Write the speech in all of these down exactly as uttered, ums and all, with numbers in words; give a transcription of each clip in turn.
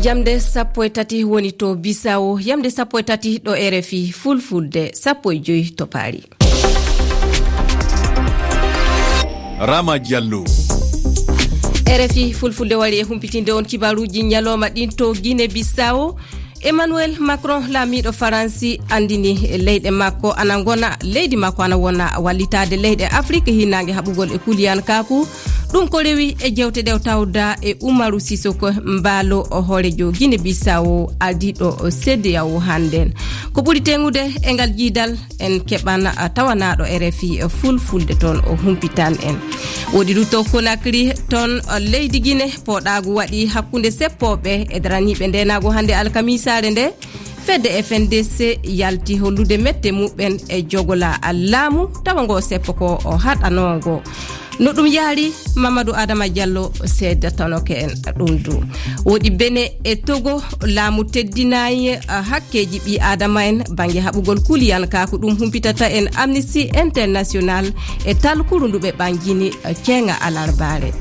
Jamde sappo e tati woni to Bisawo, jamde sappo e tati ɗo R F I Fulfulde, sappo e joy to Paris. Rama Diallo. R F I Fulfulde wari e humpitinde on kibaruuji ñalooma ɗin to Guinée Bissau. Emmanuel Macron, laamiiɗo Faransi, anndini leyɗe makko ana ngona, leydi makko ana wona wallitaade leyɗe Afrik hinnaange haɓugol e kuliyankaaku. Ɗum ko rewi e jewte ɗe o tawda e Umaru Sisoko Mbaalo, o hooreejo Guinée Bissau, ardiiɗo C D A O hannden. Ko ɓuri teŋude e ngal jiidal, en keɓan, a, tawanaaɗo R F I Fulfulde toon, o humpitan en. Woodi du to Conakry, toon, a, leydi Guinée, pooɗaagu waɗi hakkunde seppooɓe e daraniiɓe ndeenaagu hannde alkamiisaare nde. Fedde F N D C yalti hollude mette muɓɓen e jogola laamu, tawa ngo seppo ko o haɗanoongo. No ɗum yaari, Mamadou Adama Diallo seeddatanoke en ɗum du. Woodi Bene e Togo, laamu teddinayi, ah, hakkeeji ɓii Adama en bannge haɓugol kuliyankaaku, ɗum humpitata en Amnesty International e talkuru ndu ɓe ɓanngini, ah, keeŋa alarbaare.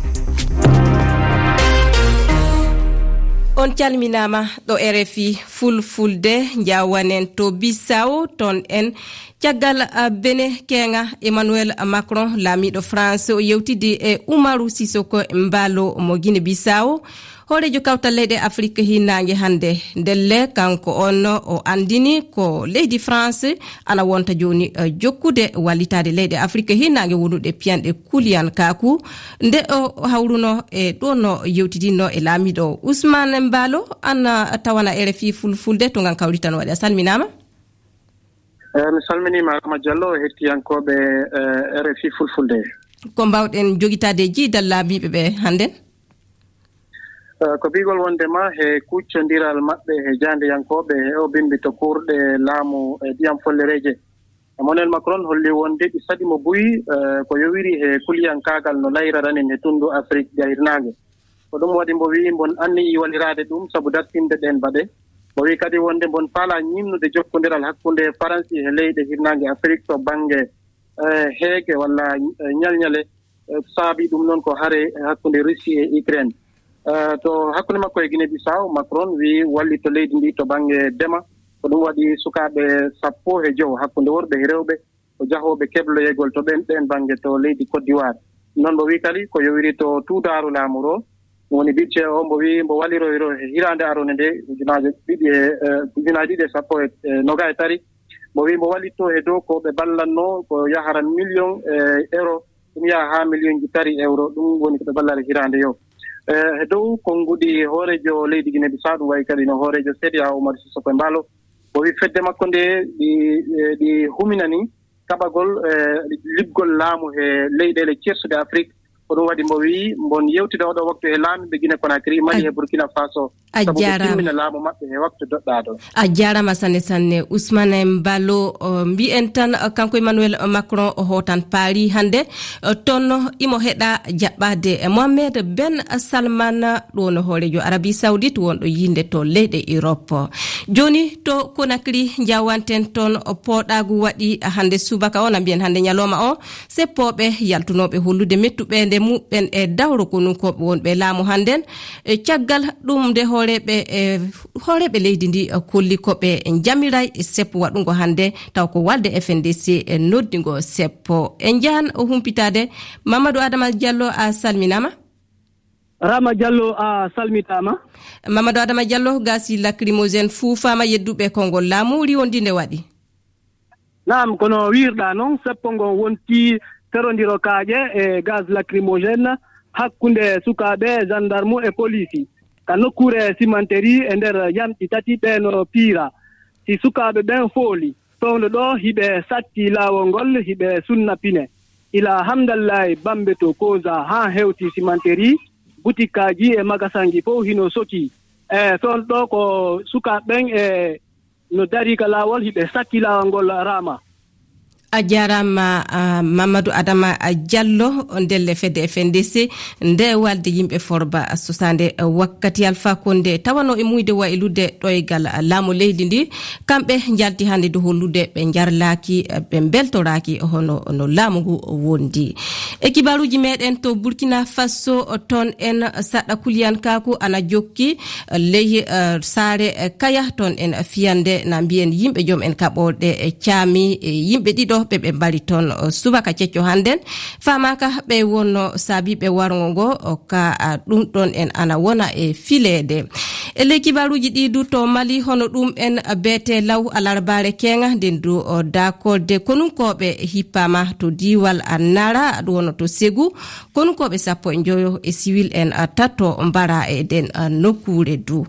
On calminaama ɗo R F I Fulfulde, njaawanen to Bissau, toon en caggal, ah, Bene keeŋa, Emmanuel Macron, laamiiɗo France, o yewtidi e Umaru Sisoko Mbaalo mo Guinée Bissau, hooreejo kawtal leyɗe Afrik hinnaange hannde. Ndelle, kanko on o anndini ko leydi France ana wonta jooni, eh, jokkude wallitaade leyɗe Afrik hinnaange wonuɗe piyanɗe kuliyankaaku. Nde o hawruno e ɗo no yewtidinno e laamiiɗo Ousmane Mbaalo, ana tawana R F I Fulfulde to ngan kawritan waɗi. A salminaama? Eh, mi salminiima, Adama Diallo, e hettiyankooɓe, eh, R F I Fulfulde. Ko mbaawɗen jogitaade e jiidal laamiiɓe ɓe hannden? Eh, ko biigol wonde ma he kuccondiral maɓɓe he jaandeyankooɓe he o bimbi to kuurɗe laamu e ndiyam follereeje. Emmanuel Macron holli wonde ɗi saɗi mo buy, eh, ko yowiri he kuliyankaagal no layraranin he tunndu Afrik jahirnaange. Ko ɗum waɗi mbo wi'i mbon anniyi waliraade ɗum sabu dartinde ɗeen baɗe. Mbo wi'i kadi wonde mbon faalaa ñiimnude jokkondiral hakkunde Faransi e leyɗe hirnaange Afrik to bannge, eh, heege walla, eh, ñalñale, eh, saabi ɗum noon ko hare hakkunde Russie e Ukraine. Eh, to hakkunde makko e Guinée Bissau, Macron wi'i wallitto leydi ndi to bannge dema. Ko ɗum waɗi sukaaɓe sappo e jowo hakkunde worɓe e rewɓe ko jahooɓe kebloyegol to ɓen, ɓen bannge to leydi Côte d'Ivoire. Noon mbo wi'i kadi ko yowiri to tuudaaru laamu ro, woni budget o, mbo wi'i mbo walliroyro e hiraande aroonde nde, ujunaaje ɗiɗi e, eh, ujunaaje ɗiɗi e sappo e, eh, noga e tati. Mbo wi'i mbo wallitto he dow ko ɓe ballatnoo ko yahara million, eh, euro, ɗum yaha haa million ji tati euro, ɗum woni ko ɓe ballata hiraande yo. Eh, he dow konguɗi hooreejo leydi Guinée Bissau, ɗum wayi kadi no hooreejo C D A O Umaru Sisoko Embaalo, mbo wi'i fedde makko nde ɗi, eh, ɗi huminani kaɓagol, eh, liɓgol laamu he leyɗeele ceersuɗe Afrik. Ko ɗum waɗi mbo wi'i mbon yewtida oɗo waktu he laamiiɓe Guinée Conakry, Mali e Burkina Faso. A sabu ɓe jaaraama. Timmina laamu maɓɓe he waktu doɗɗaaɗo. A jaaraama sanne sanne. Ousmane Mbaalo, o, mbiyen tan, o, kanko Emmanuel Macron o hootan Paris hannde, o, toon imo heɗa jaɓɓaade e Mohamed Ben Salman, ɗo no hooreejo Arabie Saoudite wonɗo yiinde to leyɗe Europe. Jooni to Conakry njawanten toon, o, pooɗaagu waɗi hannde subaka o, na mbiyen hannde ñalooma o, seppooɓe yaltunooɓe hollude mettuɓeende muɓɓen e dawro konukooɓe wonɓe laamu hannden. E caggal ɗum nde hooreeɓe, e hooreeɓe leydi ndi, e kolli ko ɓe njamiray e seppo waɗungo hannde, taw ko walde F N D C e noddingo seppo. E njahan o humpitaade. Mamadou Adama Diallo, a salminaama. Rama Diallo, a salmitaama. Mamadou Adama Diallo, gasi lacrymogène fuufaama yedduɓe konngol laamu, riwondi nde waɗi. Naam, kono wiirɗaa noon, seppo ngon wonti ferondiro kaaƴe e gaz lacrymogène hakkunde sukaaɓe, gendarme e poliisi, ka nokkuure cimenterie e nder yamɗi tati ɓe no piira. Si sukaaɓe ɓen fooli, fewndo ɗo hiɓe satti laawol ngol, hiɓe sunna pine. Ila hamdallahi bambe to Koza haa hewti cimenterie, butikkaaji e magasanji fow hino sokii. E fewndo ɗo ko sukaaɓe ɓen e no darii ka laawol, hiɓe satti laawol ngol, Rama. A jaaraama, ah, Mamadou Adama, ah, Diallo, ndelle fedde F N D C, nde walde yimɓe Forba, ah, sosaande, ah, wakkati Alpha Condé, tawano e muyde waylude ɗoygal, ah, laamu leydi ndi. Kamɓe njalti hannde dow hollude ɓe njarlaaki, ah, ɓe mbeltoraaki hono no laamu ngu wondi. E kibaaruuji meɗen to Burkina Faso, toon en saɗa kuliyankaaku ana jokki, ley, eh, saare, eh, Kaya, toon en fiyande na mbiyen yimɓe joom en kaɓorɗe, eh, caami, eh, yimɓe ɗiɗo ɓe ɓe mbari toon, eh, subaka cecco hannden. Faamaaka ɓe wonno saabiiɓe warngo ngo, o ka, ah, ɗum ɗoon en ana wona e fileede. E ley kibaaruuji ɗi du to Mali, hono ɗum en beete law alarbaare keeŋa, nden du o daakolde konunkooɓe hippaama to diiwal a Nara, ɗum wonno to Segu, konunkooɓe sappo e njoyo e siwil en, ah, tato mbara e ɗen, ah, nokkuure du.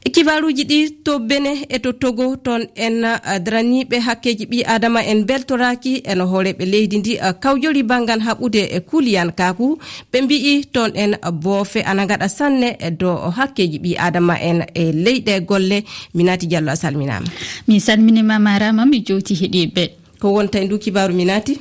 E kibaaruuji ɗi to Bene e to Togo, toon en, ah, daraniiɓe hakkeeji ɓii Aadama en mbeltoraaki en hooreeɓe leydi ndi, ah, kawjori banngal haɓude e kuliyankaaku. Ɓe mbi'i toon en boofe ana ngaɗa sanne e dow hakkeeji ɓii Aadama en e leyɗe golle. Minati Diallo, a salminaama. Mi salminiima, Marama, mi jowti heɗiiɓe. Ko wonta e ndu kibaaru, Minati?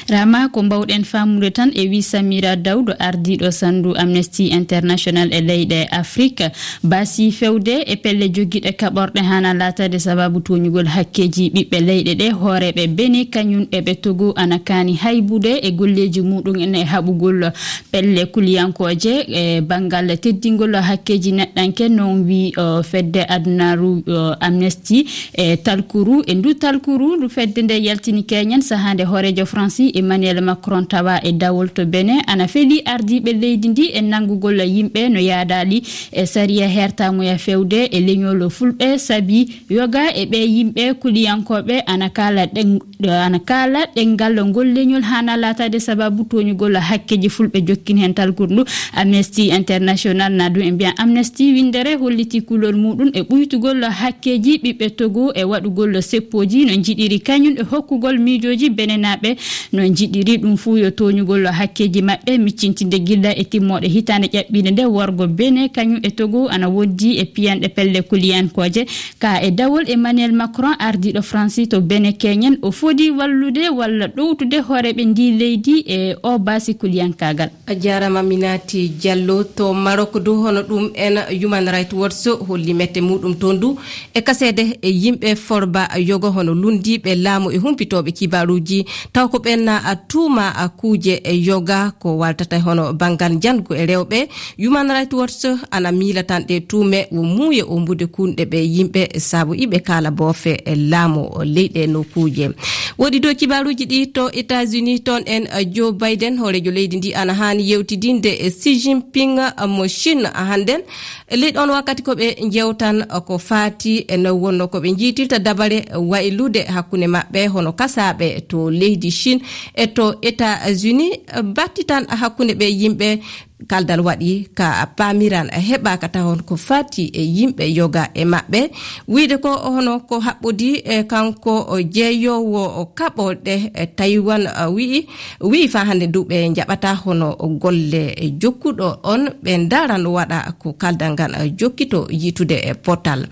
Rama, ko mbawɗen faamude tan e wii Samira Dawdo, ardiiɗo sandu Amnesty International e leyɗe Afrique, baasi fewde e pelle jogiiɗe kaɓorɗe hana laataade sababu tooñugol hakkeeji ɓiɓɓe leyɗe ɗe, hooreeɓe Bene kañum e ɓe Togo ana kaani haybude e golleeji muɗum en e haɓugol pelle kuliyankooje e banngal teddingol hakkeeji neɗɗanke, non wi, o, fedde adunaaru, o, Amnesty e talkuru. E ndu talkuru, ndu fedde nde yaltini keñen sahaa nde hooreejo Faransi Emmanuel Macron tawa e dawol to Benin, ana feli ardiiɓe leydi ndi e nanngugol yimɓe no yaadaali e sariya hertamuya fewde e leñol fulɓe, sabi yoga e ɓe yimɓe kuliyankooɓe ana kaala ɗen-, ana kaala ɗenngal ngol leñol hana laataade sababu tooñugol hakkeeji fulɓe. Jokkin heen talkuru ndu Amnesty International, na ɗum e mbiya Amnesty winndere holliti kulol muɗum e ɓuytugol hakkeeji ɓiɓɓe Togo e waɗugol seppooji no njiɗiri kañum e hokkugol miijooji benenaaɓe no njiɗiri. Ɗum fuu yo tooñugol hakkeeji maɓɓe miccintinde gilla e timmooɗe hitaande ƴaɓɓiinde nde worgo Benin kañum e Togo ana wondi e piyanɗe pelle kuliyankooje. Ka e dawol Emmanuel Macron, ardiiɗo Faransi to Benin keñen, o fodi wallude walla ɗowtude hooreeɓe ndi leydi e o baasi kuliyankaagal. A jaaraama, Minati Diallo. To Maroc du, hono ɗum en Human Rights Watch holli mette muɗum toon du e kaseede e yimɓe Forba yoga, hono lunndiiɓe laamu e humpitooɓe kibaaruuji, taw ko ɓen na a tuuma a kuuje e yoga ko waltata hono banngal njanngu e rewɓe. Human Rights Watch ana miila tan ɗe tuume wo muuye ombude kunɗe ɓe yimɓe sabu iɓe kaala boofe e laamu leyɗe nokkuuje. Woɗi dow kibaaruuji ɗi to États-Unis, toon en, eh, Joe Biden, hooreejo leydi ndi, ana haani yewtidinde e Xi Jinping, eh, mo Chine, eh, hannden. E ley ɗoon wakkati ko ɓe njewtan, eh, ko faati e no wonno ko ɓe njiytirta dabare waylude hakkunde maɓɓe hono kasaaɓe to leydi Chine e to États-Unis, eh, battitan hakkunde ɓe yimɓe. Kaldal waɗi ka paamiran heɓaaka tawon ko fati e yimɓe yoga e maɓɓe. Wiyde ko hono ko haɓɓodi e kanko o jeeyoowo o kaɓorɗe e Taiwan, a, wi'i, wi'i faa hannde duuɓe njaɓata hono golle jokkuɗo on ɓe ndaran waɗa ko kaldal ngal, a, jokkito yiitude e potal.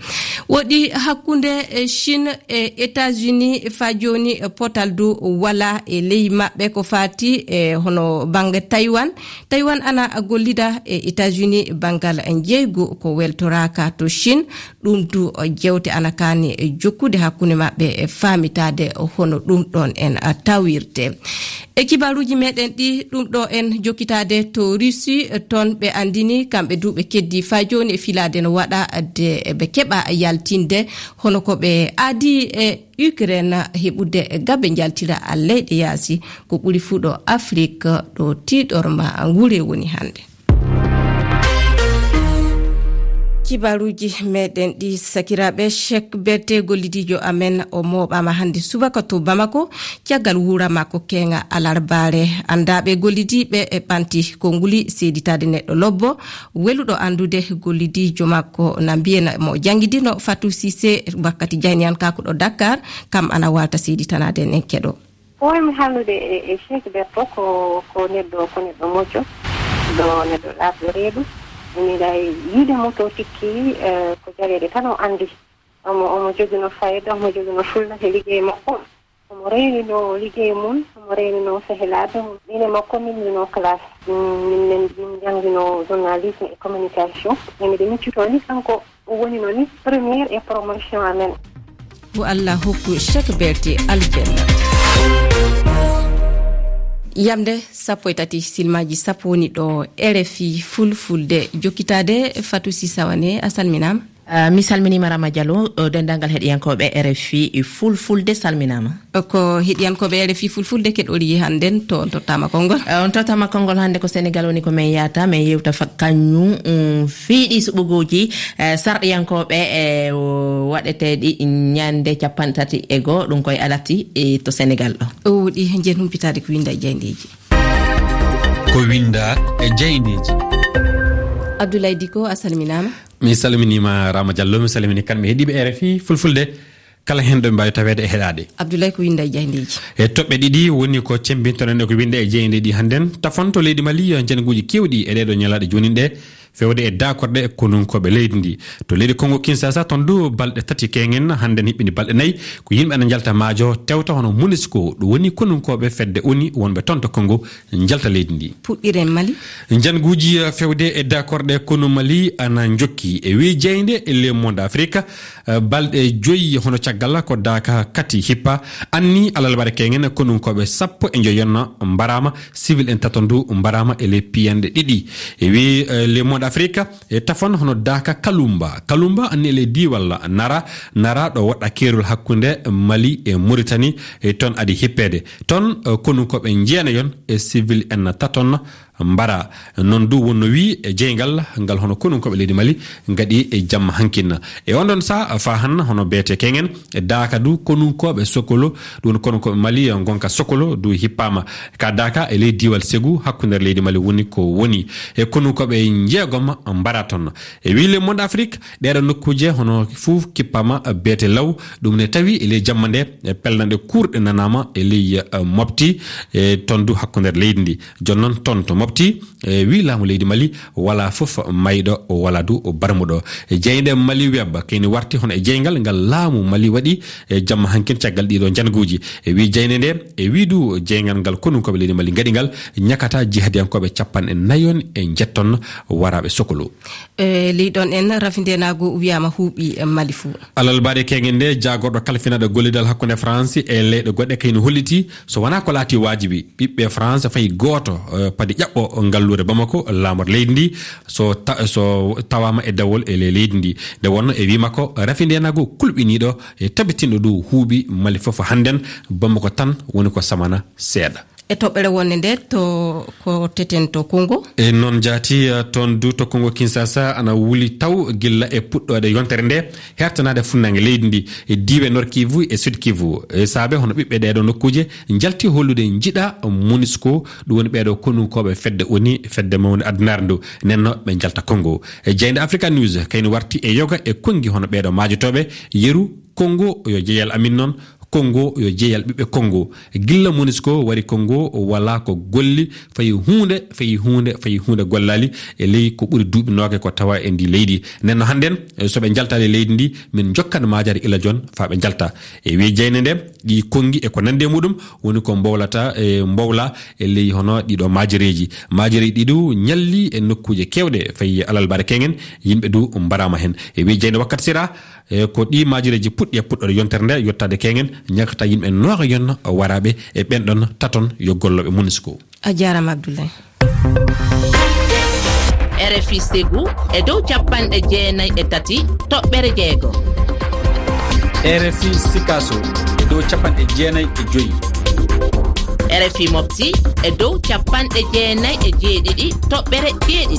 Woɗi hakkunde e Chine e États-Unis faa jooni e potal du wala e ley maɓɓe ko fati e hono bannge Taiwan. Taiwan ana gollida e États-Unis banngal njeygu ko weltoraaka to Chine. Ɗum du o jewte ana kaani jokkude hakkunde maɓɓe e faamitaade hono ɗum ɗoon en tawirte. E kibaaruuji meɗen ɗi, ɗum ɗo en jokkitaade to Russie, toon ɓe anndini kamɓe du ɓe keddi faa jooni e filaade no waɗa de ɓe keɓa yaltinde hono ko ɓe aadi e Ukraine heɓude gabe njaltira leyɗe yaasi, ko ɓuri fuu ɗo Afrik, ɗo tiiɗorma ngure woni hannde. Kibaaruuji meɗen ɗi, sakiraaɓe, Cheikh Berté, gollidiijo amen, o mooɓaama hannde subaka to Bamako, caggal wuura makko keeŋa alarbaare. Anndaaɓe gollidiiɓe e ɓanti konnguli seeditaade neɗɗo lobbo, weluɗo anndude gollidiijo makko, na mbiyen mo janngidino Fatou Cissé, wakkati jayniyan kakuɗo Dakar, kam ana waalta seeditanaade en, en keɗo. Ko waymi haalnude e, e Cheikh Berto ko, ko neɗɗo, ko neɗɗo moƴƴo, ɗo neɗɗo laaɓɗo reedu. Mbiɗa yiide mo to tikki, eh, ko jareede tan o anndi. Omo, omo jogino fayda, omo jogino fulla he liggey makko. Omo reeninoo liggey mum, omo reeninoo sehilaaɓe mum. Min e makko min ndenno classe. Min, min, min njannginoo journalisme et communication. E miɗo miccitoo ni kanko o woni noon ni première e promotion amen. Ko Allah hokku chaque belte aljanna. Yamde sappo e tati silmaaji sappo woni ɗo R F I Fulfulde jokkitaade. Fatou Sy Sawane, a salminaama. Ah, mi salminiima Rama Diallo, eh, denndaangal heɗiyankooɓe R F I Fulfulde salminaama. Ko heɗiyankooɓe R F I Fulfulde keɗoɗi hannden to on tottaama konngol. Eh, on tottaama konngol hannde ko Senegal woni ko men yahata, men yewta fa-, kañum, um, fiiɗi suɓugooji, eh, sarɗiyankooɓe, eh, o-, waɗeteeɗi ñande capanɗe tati e goo, ɗum koye alati, eh, to Senegal ɗo. O wuɗi njen humpitaade ko winnda e jaayndeeji. Ko winnda e jaayndeeji. Abdoulaye Dicko, a salminaama. Mi salminiima Rama Diallo, mi salmini kamɓe heɗiiɓe R F I Fulfulde, kala heen ɗo ɓe mbaawi taweede e heɗaade. Abdoulaye, ko winnda e jaayndeeji? E toɓɓe ɗiɗi woni ko cemmbintoɗen e ko winnda e jaayndeeji hannden. Tafon to leydi Mali, njannguuji keewɗi e ɗee ɗoo ñalaaɗe jooni ɗee, feewde e daakorɗe e konunkooɓe leydi ndi. To leydi Kongo Kinshasa, toon du balɗe tati keeŋen, hannden hiɓɓini balɗe nayi, ko yimɓe ana njalta maajo, tewta hono Monusco, ɗum woni konunkooɓe fedde O N U wonɓe toon to Kongo, njalta leydi ndi. Puɗɗiren Mali. Njannguuji, eh, feewde e daakorɗe konu Mali ana njokki. E wii jaaynde e Le Monde Afrique, eh, balɗe joyi hono caggal ko daaka kati hippa, anni alarba keeŋen konunkooɓe sappo e njoyon mbaraama, civil en tato ndu mbaraama e ley piyanɗe ɗiɗi. E wii, eh, Le Monde Afrique, e tafon hono daaka Kalumba. Kalumba anni e ley diiwal Nara, Nara ɗo woɗɗa keerol hakkunde Mali e Mauritanie, e toon adi hippeede. Toon, eh, konunkooɓe njeenayon e civil en taton mbara. Noon du wonno wii e jeyngal ngal hono konunkooɓe leydi Mali ngaɗi e jamma hankin. E on ɗon saha faa han hono beete keeŋen e daaka du konunkooɓe Sokolo, ɗum woni konunkooɓe Mali ngonka Sokolo du hippaama. Ka daaka e ley diiwal Segu hakkunde leydi Mali woni ko woni. E konunkooɓe njeegom mbara toon. E wii Le Monde Afrique, ɗeeɗo nokkuuje hono fuu kippama beete law, ɗum ne tawi e ley jamma nde, e pellanɗe kuurɗe nanaama e ley, eh, Mopti, e toon du hakkunde leydi ndi. Jooni noon toon to Mopti, e wii laamu leydi Mali, walaa fof mayɗo, walaa du barmuɗo. E jaaynde Mali Web, kayni warti hono e jeyngal ngal laamu Mali waɗi e jamma hankin caggal ɗiɗo njannguuji. E wii jaaynde nde, e wii du jeyngal ngal konunkooɓe leydi Mali ngaɗi ngal, ñakata jihadiyankooɓe capanɗe nayon e njetton waraaɓe Sokolo. E ley ɗon en, rafindeenaagu wiyaama huuɓi Mali fuu. Alarba keeŋen nde, jaagorɗo kalfinaaɗo gollidal hakkunde France e leyɗe goɗɗe kayni holliti, so wonaa ko laati waajibi, ɓiɓɓe France fayi gooto, eh, padi ƴaɓɓo ngalluure Bamako, laamorde leydi ndi, so ta-, so tawaama e dawol e ley leydi ndi. Nde wonno e wii makko, rafindeenaagu kulɓiniiɗo e tabitinɗo du huuɓi Mali fof hannden, Bamako tan woni ko samana seeɗa. E toɓɓere wonde nde to ko teten to Kongo. E noon jaati, eh, toon du to Kongo Kinshasa ana wuli taw gilla e puɗɗoode yontere nde, hertanaade funnaange leydi ndi, e diiwe Nord Kivu e Sud Kivu. E saabe hono ɓiɓɓe ɗeeɗo nokkuuje njalti hollude njiɗa Monusco, ɗum woni ɓeeɗo konunkooɓe fedde O N U, fedde mawnde addunaare ndu, nenno ɓe njalta Kongo. E jaaynde Africa News, kayni warti e yoga e konngi hono ɓeeɗo maajotooɓe, yeru Kongo yo jeyal amin noon, Kongo yo jeyal ɓiɓɓe Kongo. Gilla Monusco wari Kongo, walaa ko golli, fayi huunde, fayi huunde, fayi huunde gollaali e ley ko ɓuri duuɓi noogaye ko tawa e ndi leydi. Nden no hannden, eh, so ɓe njaltaali e leydi ndi, min njokkan maajari ila joon faa ɓe njalta. E wii jaaynde nde, ɗi konngi e ko nanndi e muɗum, woni ko mbowlata, e mbowla e ley hono ɗiɗo maajareeji. Maajareeji ɗi du ñalli e nokkuuje keewɗe, fayi alarba keeŋen, yimɓe du mbaraama heen. E wii jaaynde Wakkati Sira, E ko ɗii maajareeji puɗɗi e puɗɗoode yontere nde, yottaade keeŋen, ñakata yimɓe noogayon waraaɓe e ɓeen ɗon taton yo gollooɓe Monusco. A jaaraama, Abdoulaye. R F I Ségou e dow capanɗe jeenayi e tati toɓɓere jeego. R F I Sikaso e dow capanɗe jeenayi e joyi. R F I Mopti e dow capanɗe jeenayi e jeeɗiɗi toɓɓere jeeɗiɗi.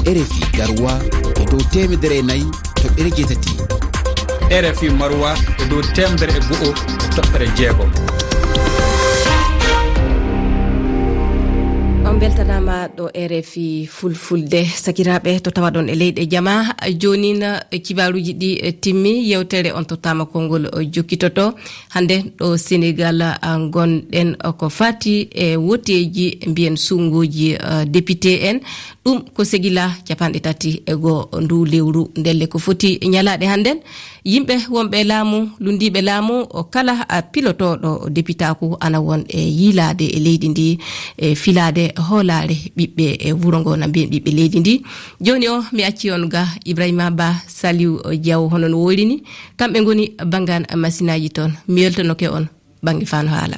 R F I Garoua e dow teemedere e nayi toɓɓere jeetati. R F I Maroua e dow teemedere e go'o toɓɓere jeegom. On mbeltanaama Ɗo R F I Fulfulde, sakiraaɓe to tawaɗon e leyɗe jama. Joonin, eh, kibaaruuji ɗi, eh, timmi, yewtere on tottaama konngol, eh, jokkitoto. Hannde ɗo Senegal, ah, ngonɗen, eh, ko fati e woteeji, mbiyen sunnguuji, eh, député en. Ɗum ko segila capanɗe tati e goo ndu lewru. Ndelle ko foti ñalaaɗe hannden. Yimɓe wonɓe e laamu, lunndiiɓe laamu, o kala a pilotooɗo depitaaku ana won e yiilaade e leydi ndi, e filaade hoolaare ɓiɓɓe e wuro ngo, na mbiyen ɓiɓɓe leydi ndi. Jooni o, mi acci on ga Ibrahima Ba, Saliou Diaw, hono no woyri ni. Kamɓe ngoni banngaan masinaaji toon. Mi weltanoke on bannge faano haala.